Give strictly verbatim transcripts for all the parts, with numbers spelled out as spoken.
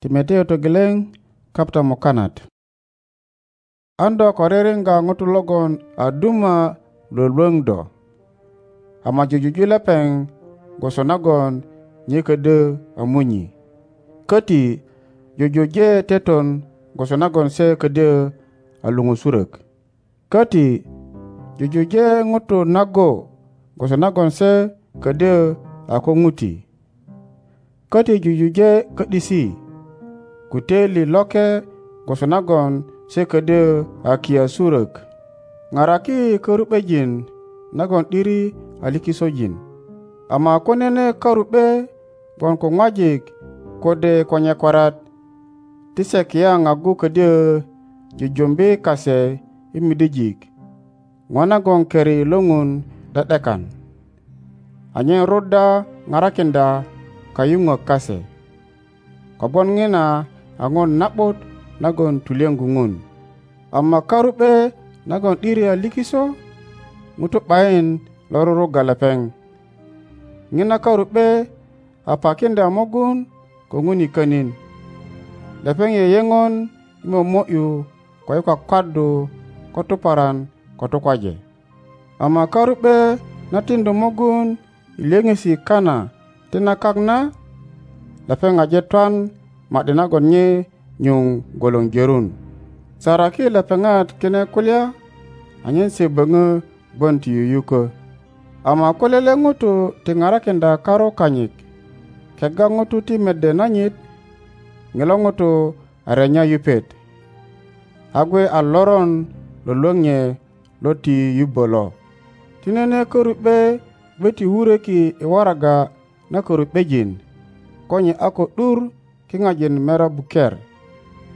Timoteo togeleŋ, kapta mukanat. An do ko ririŋga ŋutu logon a duma lwölwöŋ do, ama jujuju lepeŋ gwoso nagon nye ködyö a munyi, köti jujuje teton gwoso nagon se ködyö a luŋusurök. Köti jujuje ŋutu nago gwoso nagon se ködyö a ko ŋuti. Köti jujuje ködisi, kuteli loke gwoso nagon se ködyö a kiyasurök. Ŋaraki köru'bejin nagon 'diri a likisojin. Ama ko nene köru'be gwon ko ŋwajik kode ko nyekorat, ti se kiyaŋ agu ködyö jujumbi kase i midijik, ŋo nagon keri lo ŋun 'de'dekan, anyen ruda ŋarakinda kayuŋök kase, kogwon ŋina a ŋun na'but nagon tulyeŋgu ŋun. Ama karu'be nagon 'diri a likiso, ŋutu 'bayin lo ruruga lepeŋ. Ŋina karu'be a pakiŋdya mogun ko ŋun i könin. Lepeŋ yeyeŋon i momo'yu ko i kwakwaddu ko tuparan ko tukwaje. Ama karu'be na tindu mogun i lyöŋesi kana ti na kak na, lepeŋ aje twan ma'di nagon nye nyuŋ gwoloŋ jörun. Saraki lepeŋat kine kulya anyen se böŋö gwon ti yuyukö. Ama ko lele ŋutu ti ŋarakinda karu kanyit kega ŋutu ti mede nanyit, ŋilo ŋutu a renya yupet, a gwe a loron lwölwöŋ nye lo ti yubö lo. Ti nene köru'be gbe ti wuröki i waraga na köru'bejin, konye a ko 'dur kiŋajin mera buker.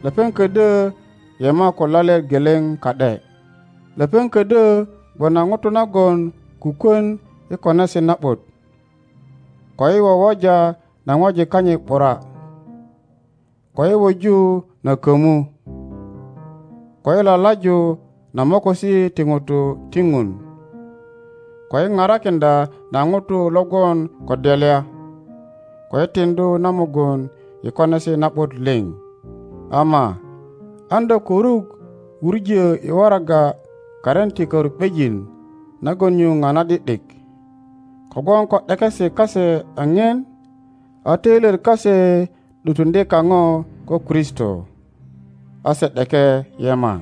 Lepeŋ ködyö yema ko lalet geleŋ ka'de. Lepeŋ ködyö gwon a ŋutu nagon kukwön i konesi na'but, ko i wowoja na ŋwajik kanyit 'bura, ko i wuju na kömu, ko i lalaju na mokosi ti ŋutu ti ŋun, ko i ŋarakinda na ŋutu logwon ko delya, ko i tindu na mugun i konesi na'but liŋ. Ama an do koruk wurjö i waraga karin ti köru'bejin nagon nyuŋ a na'di'dik, kogwon ko 'dekesi kase a ŋien, a töilyet kase 'dutundi kaŋo ko Kristo, a se 'deke yema.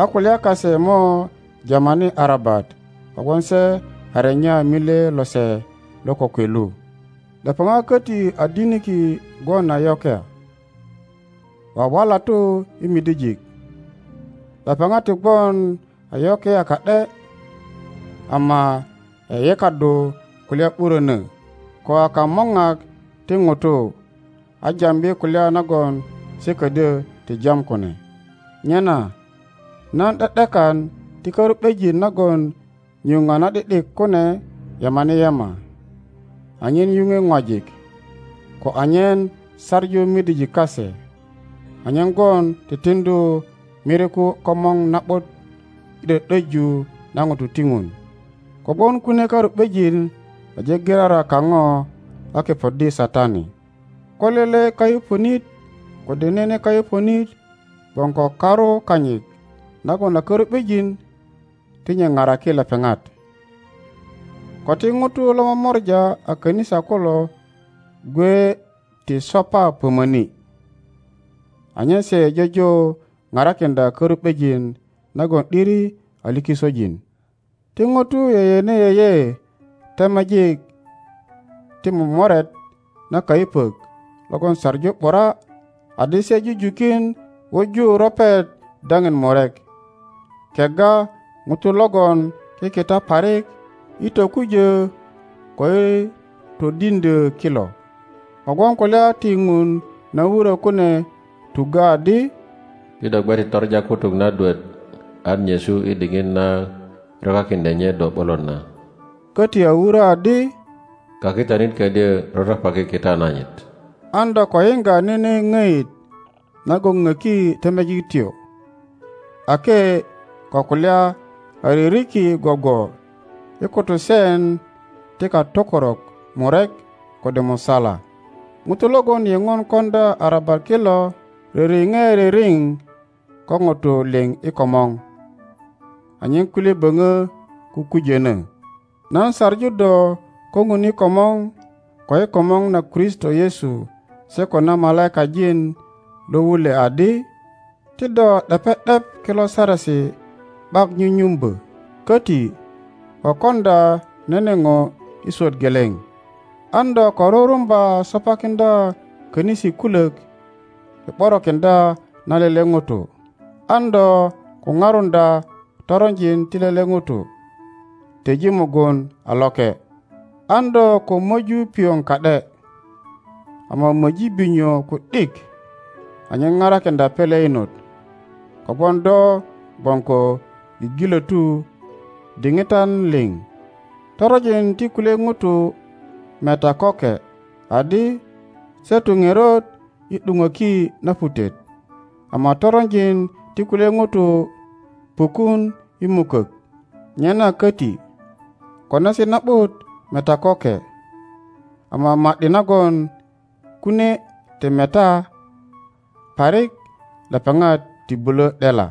A kulya kase mo jamani arabat kogwon se a renya mile lose lo kokwe lu. Lepeŋat köti a diniki gwon a yokea, wawalatu i midijik. Lepeŋat ti gwon a yokea ka'de, ama yeyekaddu kulya 'burönö, ko a kamoŋak ti ŋutu, a jambi kulya nagon se ködyö ti jam kune. Nyena nan 'de'dekan ti köru'bejin nagon nyuŋ a na'di'dik kune yemani yema, anyen yuŋwe ŋwajik, ko anyen sarju midijik kase, anyen gwon titindu miriku komoŋ na'but i 'do'döju na ŋutu ti ŋun. Kogwon kune karu'bejin aje girara kaŋo a kepoddi Satani. Ko lele kayupönit kode nene kayupönit gwon ko karu kanyit nagon a köru'bejin, ti nye ŋaraki lepeŋat. Ko ti ŋutu lo momorja a könisa kulo gwe ti sopa pömöni, anyen se jojo ŋarakinda köru'bejin nagon 'diri a likisojin. Ti ŋutu yeyene yeye temejik ti momoret na kayupök logon saŋu 'bura, adi se jujukin wuju ropet daŋin murek, kega ŋutu logon kikita parik i tokujö ko i todindö kilo. Kogwon kulya ti ŋun na wurö kune tugö adi, "Ti do gbe ti toraja kutuk na duet an nyesu i diŋit na rokakiŋdya nye do 'bolot na." Köti a wurö adi, "Kakitanit ködyö rotopaki kita nanyit." An do ko yiŋga nene ŋöit nagon ŋöki temejik tio, ake ko kulya a ririki gwogwo i kutusen ti katokorok murek kode musala. Ŋutu logon yeŋon konda arabat kilo ririŋe ririŋ ko ŋutu liŋ i komoŋ, anyen kulye böŋö kukujönö. Nan saŋu do ko ŋun i komoŋ, ko i komoŋ na Kristo Yesu se ko na malaikajin lo wulwe adi, ti do 'depe 'dep kilo saresi 'bak nyunyumbö, köti ko konda nene ŋo i swöt geleŋ. An do ko rurumba sopakiŋdya könisi kulök i 'borokiŋdya na lele ŋuto, an do ko ŋarundya toronjin ti lele ŋuto, teji mugun a loke. An do ko möju piyoŋ ka'de, ama möji binyo ku'dik anyen ŋarakinda pele inot, kogwon do gwon ko gigilötu diŋitan liŋ. Toronjin ti kulye ŋutu meta köke adi se tu ŋerot i 'duŋöki na putet, ama toronjin ti kulye ŋutu pukun i mukök. Nyena köti konesi na'but meta köke, ama ma'di nagon kune ti meta parik lepeŋat ti bulö 'dela.